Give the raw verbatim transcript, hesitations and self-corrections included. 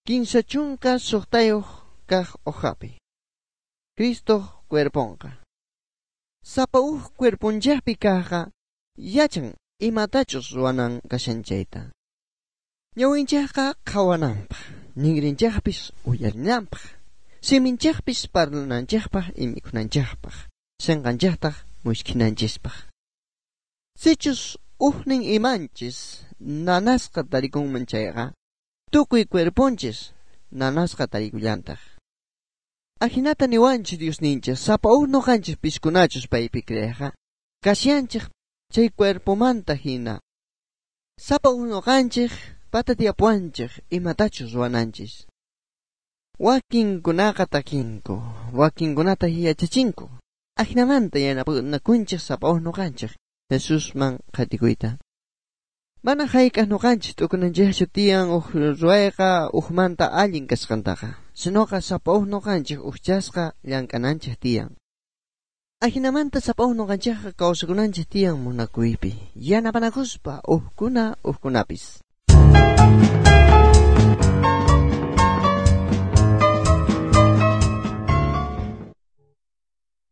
Kinsa chunka suqtayuq kaq hojapi. Cristo cuerponqa. Sapa uj cuerponchaqpi kaqqa yachan imatachus ruwanan kashan chayta. Ñawinchaqqa qhawananpaq, ninrinchaqpis uyarinanpaq, siminchaqpis parlananchaqpaq y mikhunanchaqpaq, sinqanchaqtaq muskhinanchispaq. Sichus ujnin imanchis nanasqa tarikunman chayqa, tukuy cuerponchis nanasqa tarikullantaq. Ajinata niwanchis Diosninchis, sapa uj noqanchis piskunachus paypi creeqa, kashanchik chay cuerpomanta hina. Sapa uj noqanchik patatiapuanchik imatachus ruwananchis. Wakinkunaqa takinku, wakinkunata yachachinku. Ajinamanta yanapakunchik sapa uj noqanchik Jesusman qhatikuyta. Mana hayk'aq noqanchis t'ukunanchikchu tiyan uj ruwayqa ujmanta allin kasqantaqa, sinoqa sapa uj noqanchik ujchasqa llank'ananchik tiyan. Ajinamanta sapa uj noqanchikqa kawsakunanchik tiyan munakuypi, yanapanakuspa ujkuna ujkunapis.